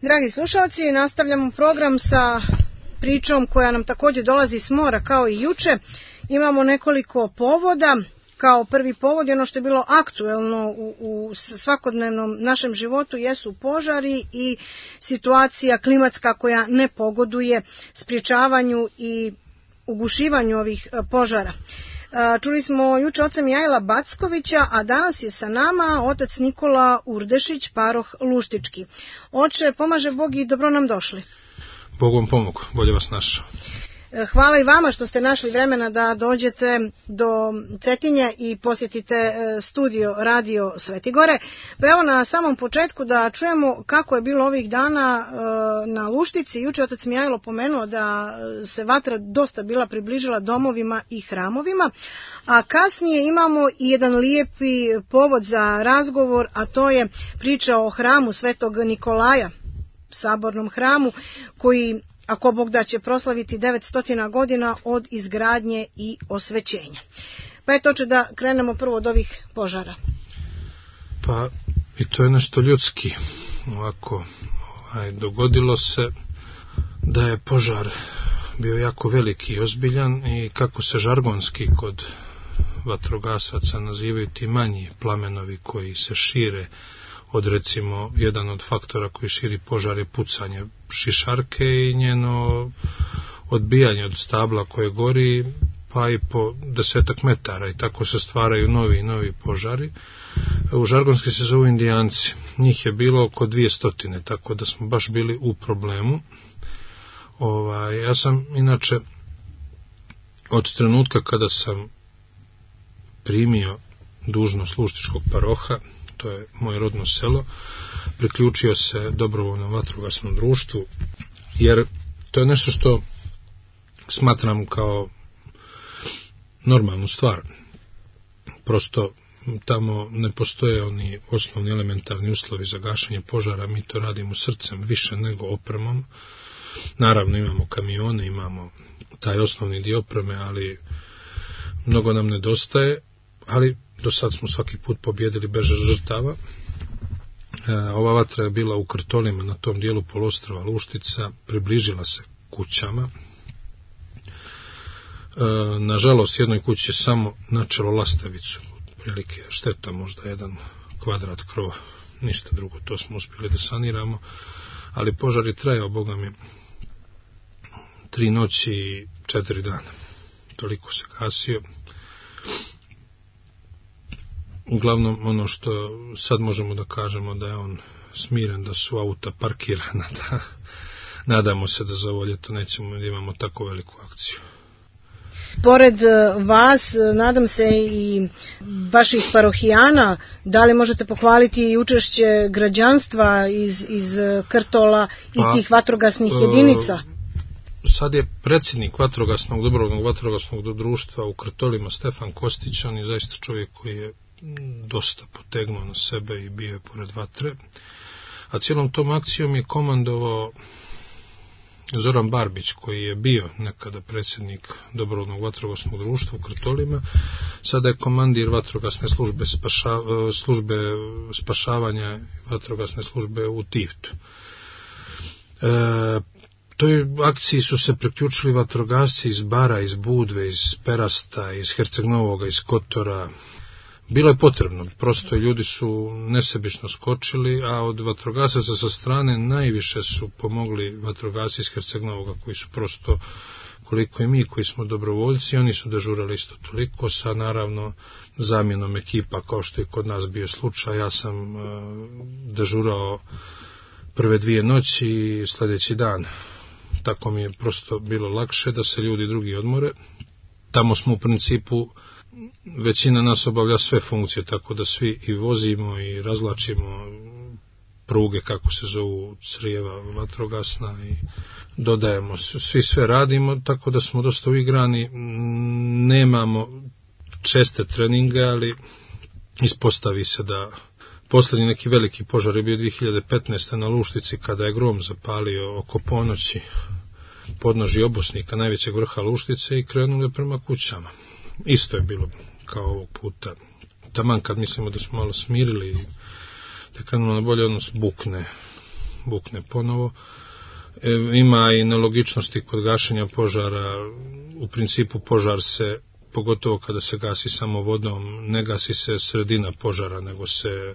Dragi slušalci, nastavljamo program sa pričom koja nam također dolazi s mora kao i juče. Imamo nekoliko povoda. Kao prvi povod je ono što je bilo aktuelno u svakodnevnom našem životu jesu požari i situacija klimatska koja ne pogoduje sprječavanju i ugušivanju ovih požara. Čuli smo juče oca Mihaila Backovića, a danas je sa nama otac Nikola Urdešić, paroh Luštički. Oče, pomaže Bog i dobro nam došli. Bog vam pomogu, bolje vas našao. Hvala i vama što ste našli vremena da dođete do Cetinje i posjetite studio Radio Svetigore. Pa evo na samom početku da čujemo kako je bilo ovih dana na Luštici. Juče otac Mihajlo pomenuo da se vatra dosta bila približila domovima i hramovima, a kasnije imamo i jedan lijepi povod za razgovor, a to je priča o hramu Svetog Nikolaja, sabornom hramu koji, ako Bog da, će proslaviti 900 godina od izgradnje i osvećenja. Pa eto, će da krenemo prvo od ovih požara. Pa i to je nešto ljudski. Ovako, dogodilo se da je požar bio jako veliki i ozbiljan i kako se žargonski kod vatrogasaca nazivaju ti manji plamenovi koji se šire od, recimo, jedan od faktora koji širi požar je pucanje šišarke i njeno odbijanje od stabla koje gori, pa i po 10 metara, i tako se stvaraju novi požari. U žargonski se zovu Indijanci. Njih je bilo oko 200, tako da smo baš bili u problemu. Ja sam inače od trenutka kada sam primio dužnost Luštičkog paroha, to je moje rodno selo, priključio se dobrovoljnom vatrogasnom društvu, jer to je nešto što smatram kao normalnu stvar. Prosto tamo ne postoje oni osnovni elementarni uslovi za gašenje požara, mi to radimo srcem više nego opremom. Naravno imamo kamione, imamo taj osnovni dio opreme, ali mnogo nam nedostaje, ali do sad smo svaki put pobjedili bez žrtava. Ova vatra je bila u Krtolima, na tom dijelu poluostrva Luštica, približila se kućama. Nažalost, jednoj kući je samo načelo lastavicu, prilike šteta možda 1 kvadrat krova, ništa drugo, to smo uspjeli da saniramo, ali požar je trajao, Boga mi, 3 noći i 4 dana. Toliko se gasio. Uglavnom, ono što sad možemo da kažemo da je on smiren, da su auta parkirana, da nadamo se da za ovo ljeto nećemo da imamo tako veliku akciju. Pored vas, nadam se i vaših parohijana, da li možete pohvaliti i učešće građanstva iz Krtola i tih vatrogasnih jedinica? Sad je predsjednik dobrovoljnog vatrogasnog društva u Krtolima Stefan Kostić, on je zaista čovjek koji je dosta potegnuo na sebe i bio je pored vatre, a cijelom tom akcijom je komandovao Zoran Barbić, koji je bio nekada predsjednik dobrovoljnog vatrogasnog društva u Krtolima, sada je komandir vatrogasne službe spašavanja vatrogasne službe u Tivtu. Toj akciji su se priključili vatrogasci iz Bara, iz Budve, iz Perasta, iz Herceg Novoga, iz Kotora. Bilo je potrebno, prosto ljudi su nesebično skočili, a od vatrogasaca sa strane najviše su pomogli vatrogasci iz Herceg Novoga, koji su prosto, koliko i mi koji smo dobrovoljci, oni su dežurali isto toliko, sa naravno zamjenom ekipa, kao što je kod nas bio slučaj. Ja sam dežurao prve 2 noći i sljedeći dan. Tako mi je prosto bilo lakše da se ljudi drugi odmore. Tamo smo u principu, većina nas obavlja sve funkcije, tako da svi i vozimo i razlačimo pruge, kako se zovu, crijeva vatrogasna, i dodajemo, svi sve radimo, tako da smo dosta uigrani. Nemamo česte treninge, ali ispostavi se da posljednji neki veliki požar je bio 2015. na Luštici, kada je grom zapalio oko ponoći podnožje Obosnika, najvećeg vrha Luštice, i krenulo je prema kućama. Isto je bilo kao ovog puta. Taman kad mislimo da smo malo smirili, da krenulo na bolje, odnos bukne bukne ponovo. Ima i nelogičnosti kod gašenja požara. U principu požar se, pogotovo kada se gasi samo vodom, ne gasi se sredina požara, nego se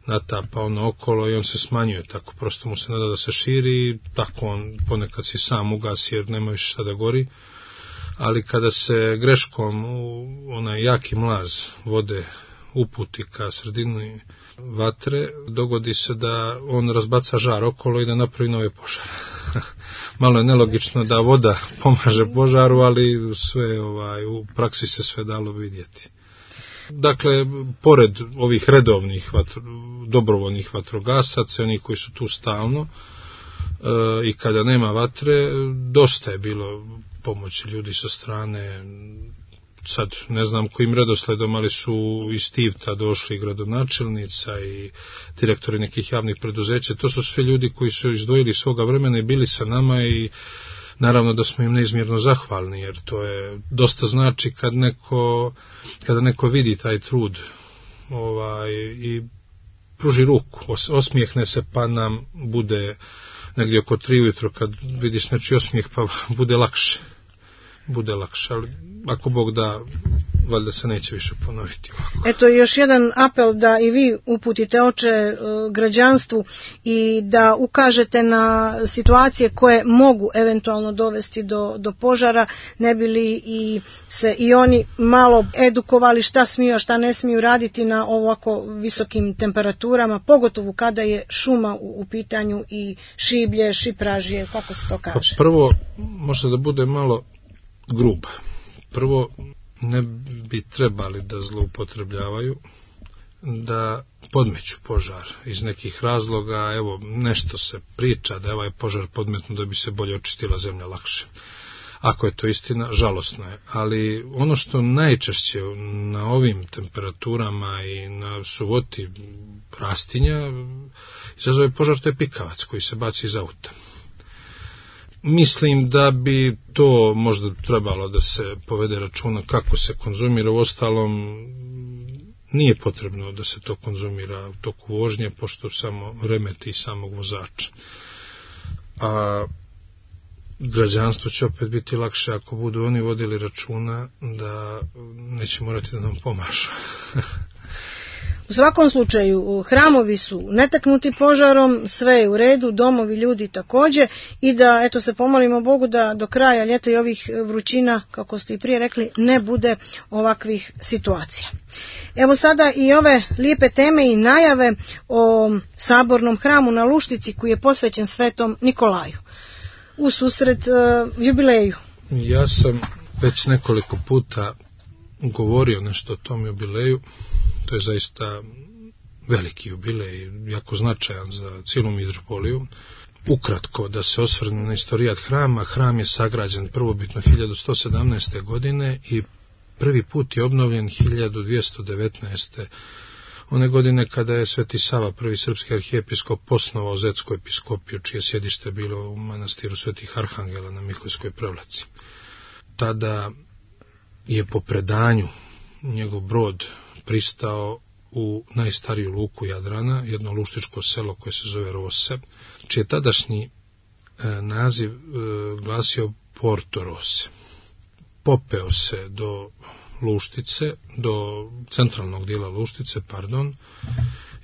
natapa ono okolo i on se smanjuje, tako prosto mu se nada da se širi i tako on ponekad si sam ugasi jer nema više šta da gori, ali kada se greškom onaj jaki mlaz vode uputi ka sredini vatre, dogodi se da on razbaca žar okolo i da napravi nove požare. Malo je nelogično da voda pomaže požaru, ali sve u praksi se sve dalo vidjeti. Dakle, pored ovih redovnih dobrovoljnih vatrogasaca, oni koji su tu stalno i kada nema vatre, dosta je bilo pomoći ljudi sa strane. Sad ne znam kojim redosledom, ali su iz Tivta došli gradonačelnica i direktori nekih javnih preduzeća. To su sve ljudi koji su izdvojili svoga vremena i bili sa nama i naravno da smo im neizmjerno zahvalni, jer to je dosta znači kada neko vidi taj trud i pruži ruku, osmijehne se pa nam bude negdje oko 3 ujutro kad vidiš nečiji osmijeh pa bude lakše, ali ako Bog da, valjda se neće više ponoviti ovako. Eto još jedan apel da i vi uputite oče građanstvu i da ukažete na situacije koje mogu eventualno dovesti do požara, ne bi li se i oni malo edukovali šta smiju, a šta ne smiju raditi na ovako visokim temperaturama, pogotovo kada je šuma u pitanju i šiblje, šipražije, kako se to kaže? Pa prvo, možda da bude malo gruba. Prvo, ne bi trebali da zloupotrebljavaju, da podmeću požar iz nekih razloga. Evo, nešto se priča da je ovaj požar podmetnu da bi se bolje očistila zemlja lakše. Ako je to istina, žalosno je. Ali ono što najčešće na ovim temperaturama i na suvoti rastinja izazove požar, to je pikavac koji se baci iz auta. Mislim da bi to možda trebalo da se povede računa kako se konzumira. Uostalom, nije potrebno da se to konzumira u toku vožnje, pošto samo remeti samog vozača. A građanstvo će opet biti lakše ako budu oni vodili računa da neće morati da nam pomažu. U svakom slučaju, hramovi su netaknuti požarom, sve je u redu, domovi, ljudi također, i da eto se pomolimo Bogu da do kraja ljeta i ovih vrućina, kako ste i prije rekli, ne bude ovakvih situacija. Evo sada i ove lijepe teme i najave o sabornom hramu na Luštici koji je posvećen Svetom Nikolaju u susret jubileju. Ja sam već nekoliko puta govorio nešto o tom jubileju. To je zaista veliki jubilej, jako značajan za cijelu mitropoliju. Ukratko, da se osvrne na istorijat hrama. Hram je sagrađen prvobitno 1117. godine i prvi put je obnovljen 1219. One godine kada je Sveti Sava, prvi srpski arhijepiskop, osnovao Zetsku episkopiju, čije sjedište bilo u manastiru Svetih Arhangela na Miholjskoj Prevlaci. Tada je po predanju njegov brod pristao u najstariju luku Jadrana, jedno luštičko selo koje se zove Rose, čije tadašnji naziv glasio Porto Rose. Popeo se do Luštice, do centralnog dijela Luštice,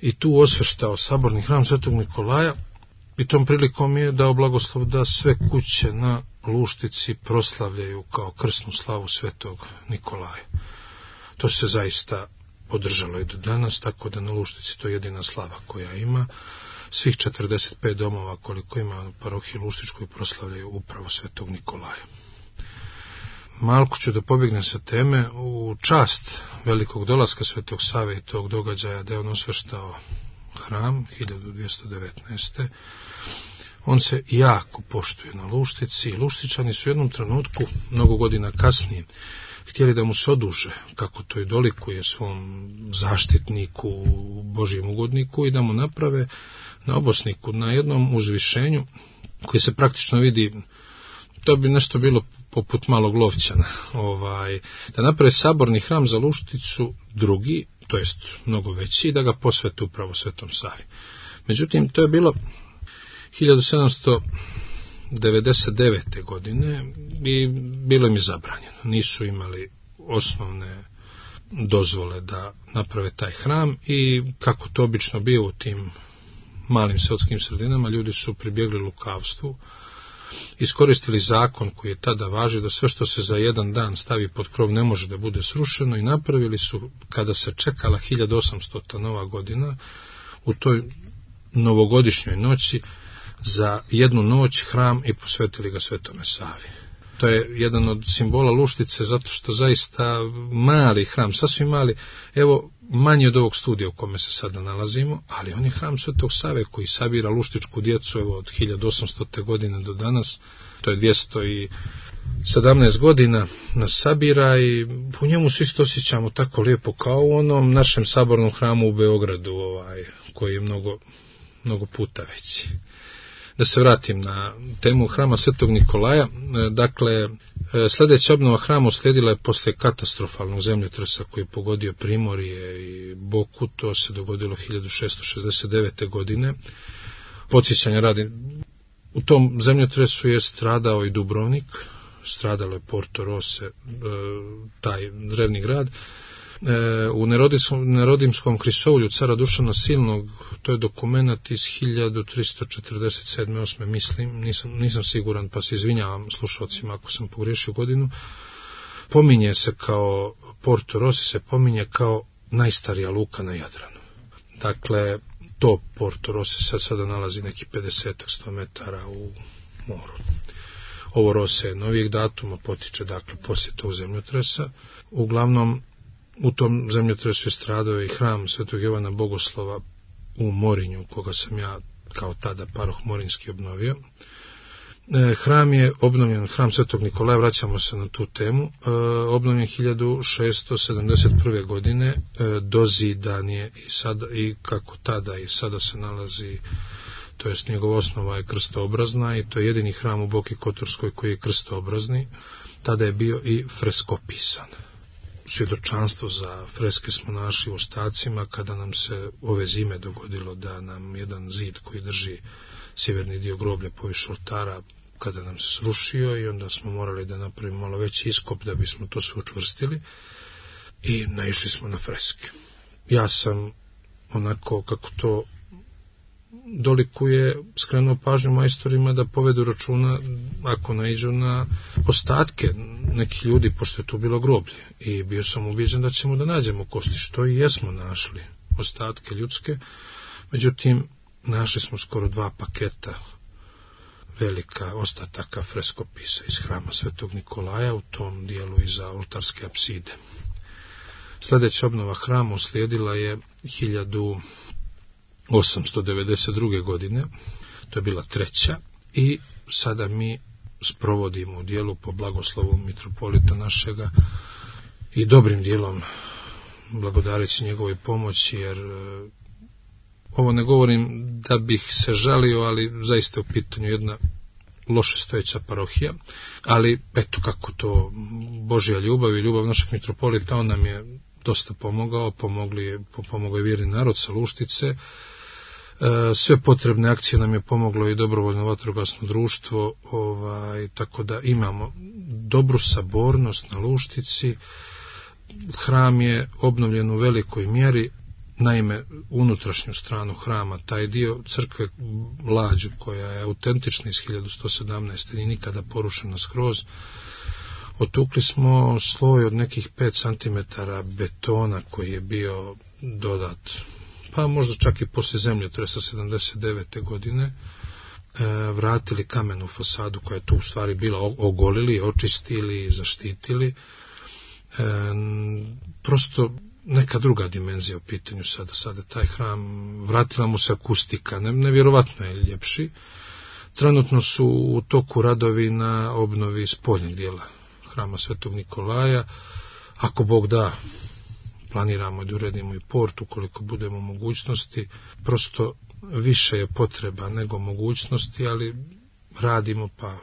i tu osveštao saborni hram Svetog Nikolaja i tom prilikom je dao blagoslov da sve kuće na Luštici proslavljaju kao krsnu slavu Svetog Nikolaja. To se zaista održalo i do danas, tako da na Luštici to je jedina slava koja ima. Svih 45 domova koliko ima u parohiji Luštičkoj proslavljaju upravo Svetog Nikolaja. Malko ću da pobjegnem sa teme. U čast velikog dolaska Svetog Save i tog događaja da je on osveštao hram 1219. On se jako poštuje na Luštici. Luštičani su u jednom trenutku, mnogo godina kasnije, htjeli da mu se oduže, kako to i dolikuje svom zaštitniku, Božjem ugodniku, i da mu naprave na obosniku, na jednom uzvišenju, koji se praktično vidi, to bi nešto bilo poput malog Lovćana, da naprave saborni hram za Lušticu drugi, to jest mnogo veći, i da ga posvete upravo Svetom Savi. Međutim, to je bilo 1799. godine i bilo im je zabranjeno. Nisu imali osnovne dozvole da naprave taj hram i kako to obično bio u tim malim seltskim sredinama, ljudi su pribjegli lukavstvu, iskoristili zakon koji je tada važio da sve što se za jedan dan stavi pod krov ne može da bude srušeno i napravili su, kada se čekala 1800. nova godina, u toj novogodišnjoj noći za jednu noć hram i posvetili ga Svetome Savi. To je jedan od simbola Luštice, zato što zaista mali hram, sasvim mali, evo manji od ovog studija u kome se sada nalazimo, ali on je hram Svetog Save koji sabira luštičku djecu evo, od 1800. godine do danas, to je 217 godina nas sabira i u njemu se isto osjećamo tako lijepo kao u onom našem sabornom hramu u Beogradu, koji je mnogo puta veći. Da se vratim na temu hrama Svetog Nikolaja, dakle, sljedeća obnova hrama uslijedila je posle katastrofalnog zemljotresa koji je pogodio Primorje i Boku, to se dogodilo 1669. godine. Podsjećanja radi, u tom zemljotresu je stradao i Dubrovnik, stradalo je Porto Rose, taj drevni grad. U Nerodimskom krisoulju cara Dušana Silnog, to je dokumenat iz 1347. mislim, nisam siguran, pa se izvinjavam slušalcima ako sam pogriješio godinu, pominje se kao, Porto Rossi se pominje kao najstarija luka na Jadranu. Dakle, to Porto Rossi sada nalazi neki 50-100 metara u moru. Ovo Rose je novijeg datuma, potiče dakle poslije tog zemljotresa. Uglavnom, u tom zemljotresu je stradao i hram Svetog Jovana Bogoslova u Morinju, koga sam ja kao tada paroh morinski obnovio. Hram je obnovljen, hram Svetog Nikolaja, vraćamo se na tu temu, obnovljen 1671. godine, dozidan je i kako tada i sada se nalazi, to jest njegova osnova je krstoobrazna i to je jedini hram u Boki Kotorskoj koji je krstoobrazni. Tada je bio i freskopisan. Svjedočanstvo za freske smo našli u ostacima kada nam se ove zime dogodilo da nam jedan zid koji drži sjeverni dio groblja poviše oltara, kada nam se srušio i onda smo morali da napravimo malo veći iskop da bismo to sve učvrstili i naišli smo na freske. Ja sam onako kako to dolikuje skrenuo pažnju majstorima da povedu računa ako naiđu na ostatke nekih ljudi, pošto je tu bilo groblje, i bio sam ubijeđen da ćemo da nađemo kosti, što i jesmo našli, ostatke ljudske. Međutim, našli smo skoro 2 paketa velika ostataka freskopisa iz hrama Svetog Nikolaja u tom dijelu iza oltarske apside. Sljedeća obnova hrama uslijedila je 1892. godine, to je bila 3. i sada mi sprovodimo u dijelu po blagoslovu mitropolita našega i dobrim dijelom blagodareći njegovoj pomoći, jer ovo ne govorim da bih se žalio, ali zaista je u pitanju jedna loše stojeća parohija, ali eto kako to Božja ljubav i ljubav našeg mitropolita, on nam je dosta pomogao, pomogao je vjerni narod sa Luštice. Sve potrebne akcije nam je pomoglo i dobrovoljno vatrogasno društvo, tako da imamo dobru sabornost na Luštici. Hram je obnovljen u velikoj mjeri, naime unutrašnju stranu hrama, taj dio crkve Lađu koja je autentična iz 1117. i nikada porušena skroz, otukli smo sloj od nekih 5 cm betona koji je bio dodat, pa možda čak i poslije zemljotresa 79. godine, vratili kamenu fasadu koja je tu u stvari bila, ogolili, očistili, zaštitili. Prosto neka druga dimenzija u pitanju sada taj hram, vratila mu se akustika, nevjerovatno je ljepši. Trenutno su u toku radovi na obnovi spoljnjeg dijela hrama Svetog Nikolaja. Ako Bog da, planiramo da uredimo i port ukoliko budemo u mogućnosti. Prosto više je potreba nego mogućnosti, ali radimo pa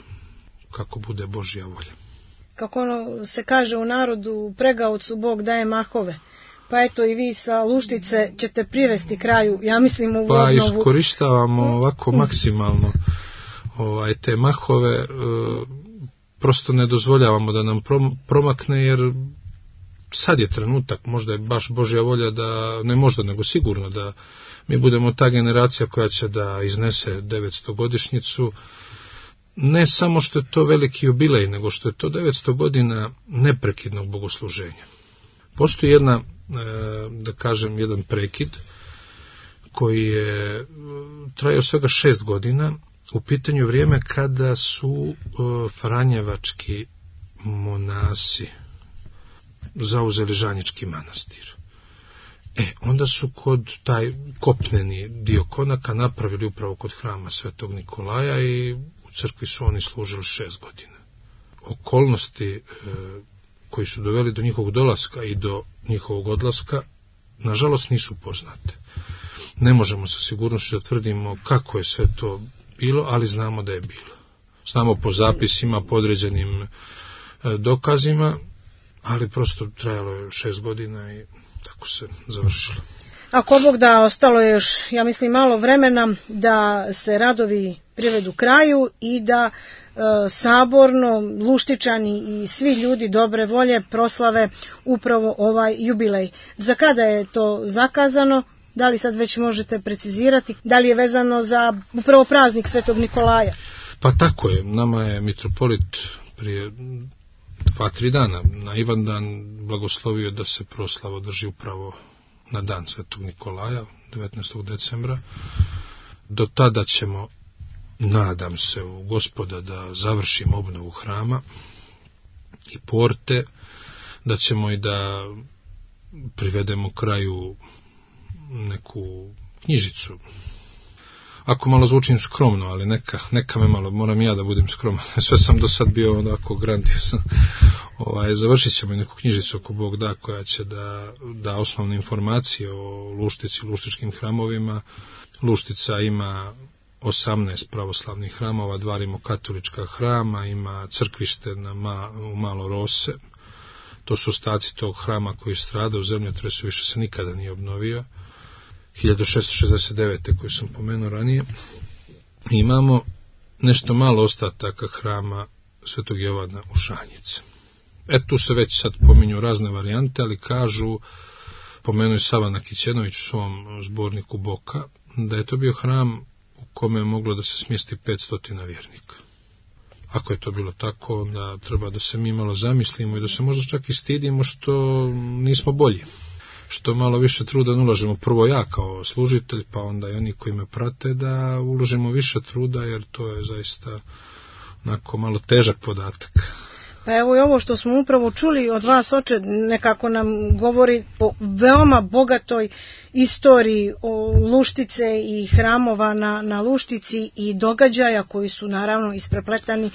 kako bude Božja volja. Kako ono se kaže u narodu, pregaocu Bog daje mahove. Pa eto i vi sa Luštice ćete privesti kraju, ja mislim, u obnovu. Pa iskorištavamo ovako maksimalno te mahove, prosto ne dozvoljavamo da nam promakne, jer sad je trenutak, možda je baš Božja volja da, ne možda, nego sigurno da mi budemo ta generacija koja će da iznese 900-godišnjicu, ne samo što je to veliki jubilej, nego što je to 900 godina neprekidnog bogosluženja. Postoji da kažem, jedan prekid koji je trajao svega 6 godina, u pitanju vrijeme kada su franjevački monasi zauzeli Žanjički manastir. Onda su kod taj kopneni dio konaka napravili upravo kod hrama Svetog Nikolaja i u crkvi su oni služili 6 godina. Okolnosti koji su doveli do njihovog dolaska i do njihovog odlaska, nažalost, nisu poznate. Ne možemo sa sigurnošću da tvrdimo kako je sve to bilo, ali znamo da je bilo. Znamo po zapisima, po određenim dokazima, ali prosto trajalo je 6 godina i tako se završilo. Ako Bog da, ostalo je još, ja mislim, malo vremena da se radovi privedu kraju i da saborno, Luštičani i svi ljudi dobre volje proslave upravo ovaj jubilej. Za kada je to zakazano? Da li sad već možete precizirati? Da li je vezano za upravo praznik Svetog Nikolaja? Pa tako je. Nama je mitropolit prije 2-3 dana na Ivandan blagoslovio da se proslava održi upravo na dan Svetog Nikolaja, 19. decembra. Do tada ćemo, nadam se u Gospoda, da završimo obnovu hrama i porte, da ćemo i da privedemo kraju neku knjižicu. Ako malo zvučim skromno, ali neka me malo, moram ja da budem skroman. Sve sam do sad bio onako grandiozan. Završit ćemo neku knjižicu ako Bog da, koja će da osnovne informacije o Luštici, luštičkim hramovima. Luštica ima 18 pravoslavnih hramova, 2 rimokatolička hrama, ima crkvište u Malo Rose. To su ostaci tog hrama koji strada u zemljotresu, više se nikada nije obnovio. 1669. koju sam pomenuo ranije. Imamo nešto malo ostataka hrama Svetog Jovana u Šanjice. Tu se već sad pominju razne varijante, ali kažu, pomenuo je Sava Nakićenović u svom zborniku Boka, da je to bio hram u kome je moglo da se smjesti 500 vjernika. Ako je to bilo tako, onda treba da se mi malo zamislimo i da se možda čak i stidimo što nismo bolji. Što malo više truda ulažemo, prvo ja kao služitelj, pa onda i oni koji me prate, da uložimo više truda, jer to je zaista onako malo težak podatak. Pa evo i ovo što smo upravo čuli od vas, oče, nekako nam govori o veoma bogatoj istoriji o Luštice i hramova na Luštici i događaja koji su naravno isprepletani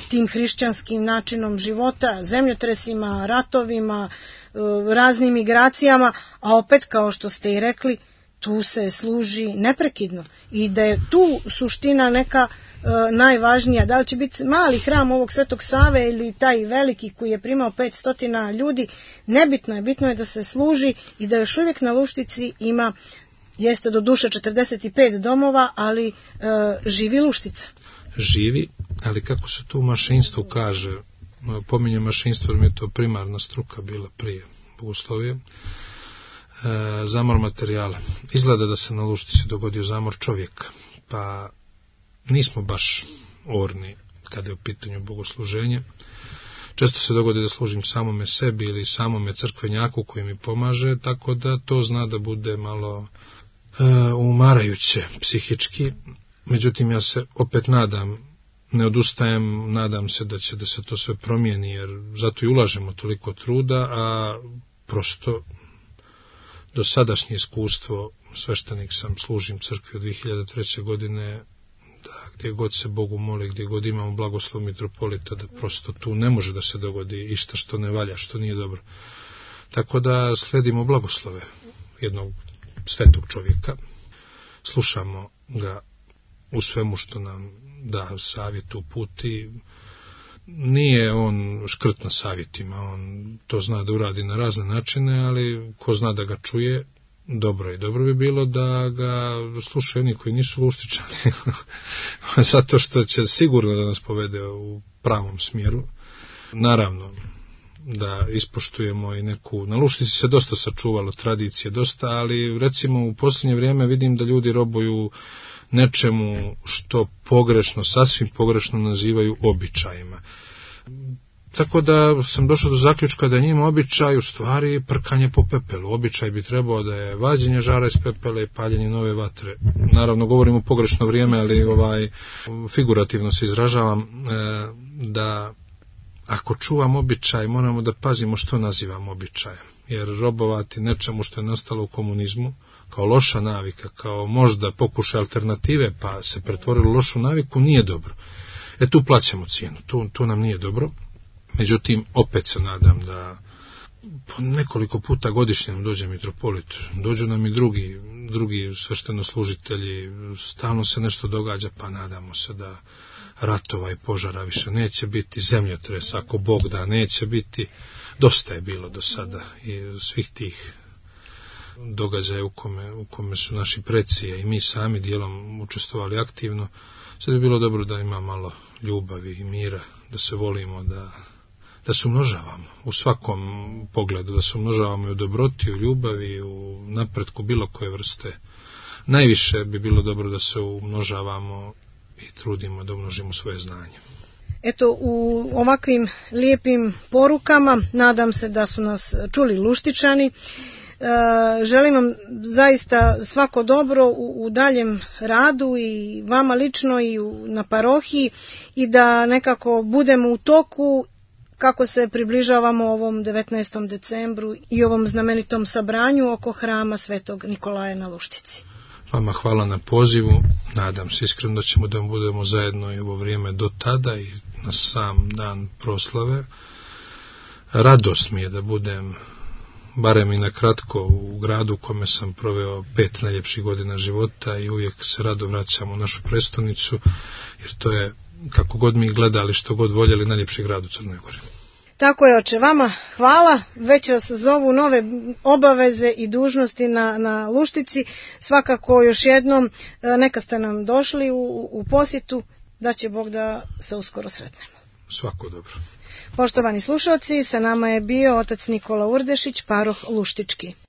tim hrišćanskim načinom života, zemljotresima, ratovima, raznim migracijama, a opet, kao što ste i rekli, tu se služi neprekidno i da je tu suština neka najvažnija. Da li će biti mali hram ovog Svetog Save ili taj veliki koji je primao 500 ljudi, nebitno je, bitno je da se služi i da još uvijek na Luštici ima, jeste do duše 45 domova, ali živi Luštica. Živi, ali kako se to u mašinstvu kaže, pominjem mašinstvo jer mi je to primarna struka bila prije bogoslovije, zamor materijala. Izgleda da se na Luštici dogodio zamor čovjeka, pa nismo baš orni kada je u pitanju bogosluženje. Često se dogodi da služim samome sebi ili samome crkvenjaku koji mi pomaže, tako da to zna da bude malo umarajuće psihički. Međutim, ja se opet nadam, ne odustajem, nadam se da će da se to sve promijeni, jer zato i ulažemo toliko truda, a prosto do sadašnje iskustvo, sveštenik sam, služim crkvi od 2003. godine, da gdje god se Bogu moli, gdje god imamo blagoslov mitropolita, da prosto tu ne može da se dogodi išta što ne valja, što nije dobro. Tako da sledimo blagoslove jednog svetog čovjeka, slušamo ga u svemu što nam da savjet, uputi, nije on škrt na savjetima, on to zna da uradi na razne načine, ali ko zna da ga čuje, dobro je. Dobro bi bilo da ga slušaju oni koji nisu luštičani, zato što će sigurno da nas povede u pravom smjeru. Naravno, da ispoštujemo i neku, na Luštici se dosta sačuvalo tradicije, dosta, ali recimo u posljednje vrijeme vidim da ljudi robuju nečemu što pogrešno, sasvim pogrešno nazivaju običajima. Tako da sam došao do zaključka da je njima običaj u stvari prkanje po pepelu. Običaj bi trebao da je vađenje žara iz pepela i paljenje nove vatre. Naravno govorimo pogrešno vrijeme, ali figurativno se izražavam, da ako čuvamo običaj, moramo da pazimo što nazivamo običajem. Jer robovati nečemu što je nastalo u komunizmu, kao loša navika, kao možda pokušaj alternative, pa se pretvorilo u lošu naviku, nije dobro. Tu plaćamo cijenu, tu nam nije dobro. Međutim, opet se nadam da nekoliko puta godišnje nam dođe mitropolit, dođu nam i drugi sveštenoslužitelji, stalno se nešto događa, pa nadamo se da ratova i požara više neće biti, zemljotresa, ako Bog da, neće biti. Dosta je bilo do sada i svih tih događaja u kome su naši preci i mi sami dijelom učestvovali aktivno. Sad bi bilo dobro da ima malo ljubavi i mira, da se volimo, da se umnožavamo u svakom pogledu, da se umnožavamo i u dobroti, u ljubavi, u napretku bilo koje vrste. Najviše bi bilo dobro da se umnožavamo i trudimo da umnožimo svoje znanje. Eto, u ovakvim lijepim porukama nadam se da su nas čuli Luštičani. Želim vam zaista svako dobro u daljem radu i vama lično i na parohiji i da nekako budemo u toku kako se približavamo ovom 19. decembru i ovom znamenitom sabranju oko hrama Svetog Nikolaja na Luštici. Vama hvala na pozivu, nadam se iskreno da ćemo da budemo zajedno i ovo vrijeme do tada i na sam dan proslave. Radost mi je da budem, barem i na kratko, u gradu u kome sam proveo 5 najljepših godina života i uvijek se rado vraćam u našu prestonicu, jer to je, kako god mi gledali, što god voljeli, najljepši grad u Crnoj Gori. Tako je, oče, vama hvala, već vas zovu nove obaveze i dužnosti na Luštici, svakako još jednom neka ste nam došli u posjetu, da će Bog da se uskoro sretnemo. Svako dobro. Poštovani slušalci, sa nama je bio otac Nikola Urdešić, paroh Luštički.